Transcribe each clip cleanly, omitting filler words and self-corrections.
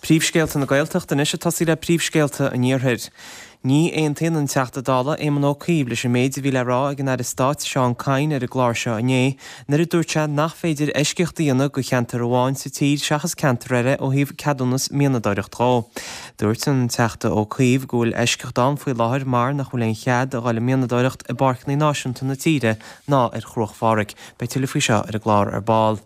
Príomhscéalta na Gaeltachta anois ag tosaí le príomhscéalta an Iarthair. Ní aontaíonn an Teachta Dála Éamon Ó Cuív leis an méid a bhí le rá ag an Aire Stáit Seán Kyne ar an gclár seo inné nuair a dúirt sé nach féidir eisceacht a dhéanamh go cheantar amháin sa tír seachas ceantar eile ó thaobh ceadúnas mianadóireacht dhó. Dúirt an Teachta Ó Cuív go bhfuil eisceacht ann faoi láthair mar nach bhfuil aon chead a dhul ag mianadóireacht i bpáirceanna náisiúnta na tíre ná ar Chruach Phádraig. Beidh tuilleadh faoi seo ar an gclár ar ball.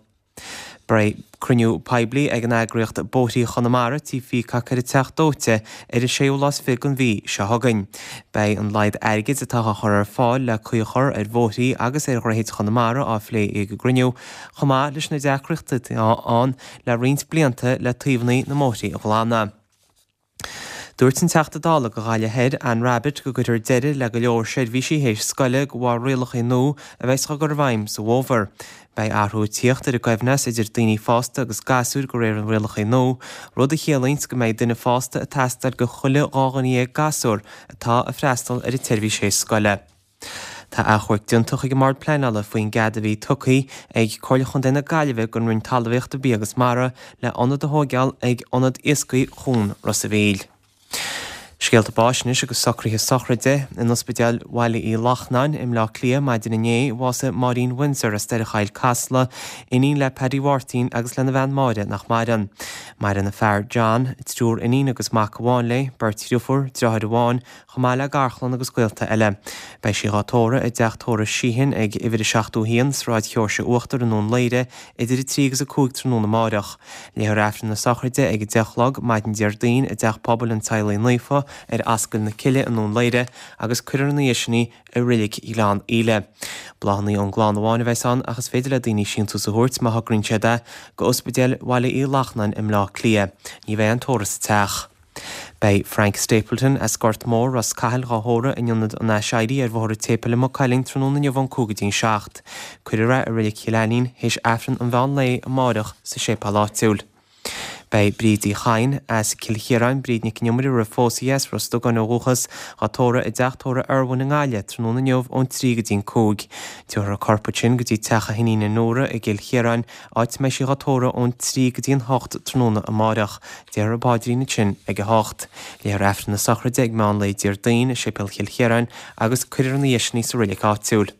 Beidh cruinniú poiblí ag an eagraíocht Bóithrí Chonamara, Tí Pheacock ar an Teach Dóite ar an séú lá is fiche den mhí seo chugainn. Beidh an laghad airgid atá á chur ar fáil le caoi a chur ar bhóithrí agus ar dhroichid Chonamara á phlé ag an gcruinniú, chomh maith leis na deacrachtaí atá ann le roinnt blianta le taobhanna na mbóithrí a ghlanadh. Dúirt an Teachta Dála do Ghaillimh Thoir, Anne Rabbitte, go gcuirfear deireadh le go leor seirbhísí théis scoile de bharr rialacha nua a bheas á gcur i bhfeidhm sa bhfómhar. Beidh athrú ag tíocht ar an gcoibhneas idir daoine fásta agus gasúir de réir na rialacha nua, rud a chiallaíonns go mbeidh duine fásta ag teastáil do chuile 12 dhuine gasúr atá ag freastal ar an tseirbhís théis scoile. Tá achomharc déanta chuig an mBord Pleanála faoin gcead a bhí tugtha ag Comhairle Chontae na Gaillimhe don Roinn Talmhaíochta, Bia agus Mara le ionad a thóigeáil ag Ionad Iascaigh Chuan Ros a' Mhíl. Scéalta báis anois agus socruithe sochraide. In Ospidéal Bhaile Uí Lachnáin i mBleá Cliath maidin inné, bhásaigh Máirín Windsor as Doire Choill Casla, iníon le Paddy Mháirtín agus lena bhean Máire nach maireann. Maireann a fear John, triúr iníon agus mac amháin léi, beirt dhriofúr, driotháir amháin, chomh maith le garchlann agus gaolta eile. Beidh sí dhá tórramh i dteach tórraimh Sheehan ag uimhir a 71, Sráid Sheoirse Uachtar i nDún Laoghaire idir 3 agus 5 tráthnóna amáireach. Léifear Aifreann na sochraide ag 10 a chlog maidin Déardaoin i dTeach Pobail an Teaghlaigh Naofa ar Ascaill na Cille i nDún Laoghaire agus cuirfear ina dhiaidh sin í i Reilig Ghleann Íle. Bláthanna ón gclann amháin a bheas ann ach is féidir le daoine síntiús a thabhairt, má thograíonn siad é, go Ospidéal Bhaile Uí Lachnáin i mBleá Cliath. Ní bheidh aon tórramh sa teach. Beidh Frank Stapleton as Gort Mór, Ros Cathail, dhá thórramh in Ionad an Aiséirí ar Bhóthar an tSéipéil i Maigh Cuilinn tráthnóna inniu ón 5 go dtí'n 7. Cuirfear é i Reilig Chill Ainnín théis Aifreann an mheán lae amáireach sa séipéal áitiúil. Beidh Bríd Uí Chadhain as Cill Chiaráin, Bríd Nic an Iomaire roimh phósadh di, as Ros Dugáin ó dhúchas, dhá tórramh i dteach tórraimh Irwin i nGaillimh tráthnóna inniu ón 3 go dtí'n 5. Tabharfar a corp ansin go dtí teach a hiníne Nóra i gCill Chiaráin, áit a mbeidh sí dhá tórramh ón 3 go dtí an 8 tráthnóna amáireach. Déarfar an paidrín ansin ag a hocht. Léifear Aifreann na sochraide ag meán lae Déardaoin i Séipéal Chill Chiaráin agus cuirfear ina dhiaidh sin í sa reilig áitiúil.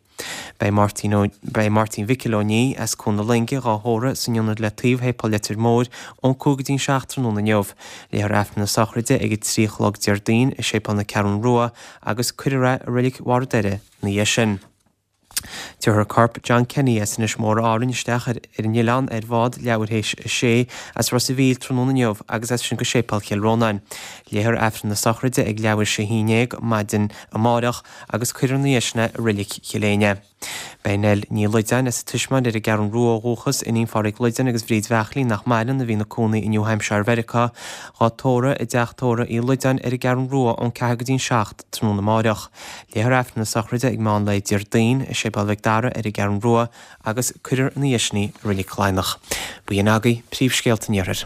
Beidh Máirtín Ó Beidh Máirtín Mhicil Ó Ní as Cuan na Loinge dhá thórramh san ionad le taobh Shéipéal Leitir Móir ón 5 go dtí'n 7 tráthnóna inniu. Léifear Aifreann na sochraide ag a 3 a chlog Déardaoin i Séipéal na Ceathrún Rua agus cuirfear é i Reilig Bharr an Doire ina dhiaidh sin. Tabharfar corp John Kenny as Inis Mór Árainn isteach ar an oileán ar bhád leathuair théis a sé as Ros a' Mhíl tráthnóna inniu agus as sin go Séipéal Chill Rónáin. Léifear Aifreann na sochraide ag leathuair théis a haon dhéag maidin amárach agus cuirfear ina dhiaidh sin é i Reilig Chill Éinne. Beidh Nell Ní Loideáin as an Tismeáin ar an gCeathrún Rua ó dhúchas, iníon Phádraig Loideáin agus Bhríd Bheachlín nach maireann, a bhí ina cónaí i New Hampshire Mheiriceá, dhá tórramh i dteach tórraimh Uí Loideáin ar an gCeathrún Rua ón 4 go dtí'n 7 tráthnóna amáireach. Léifear Aifreann na sochraide ag meán lae Déardaoin i Séipéal Mhic Dara ar an gCeathrún Rua agus cuirfear ina dhiaidh sin í i Reilig Laighneach. B'in agaibh príomhscéalta an Iarthair.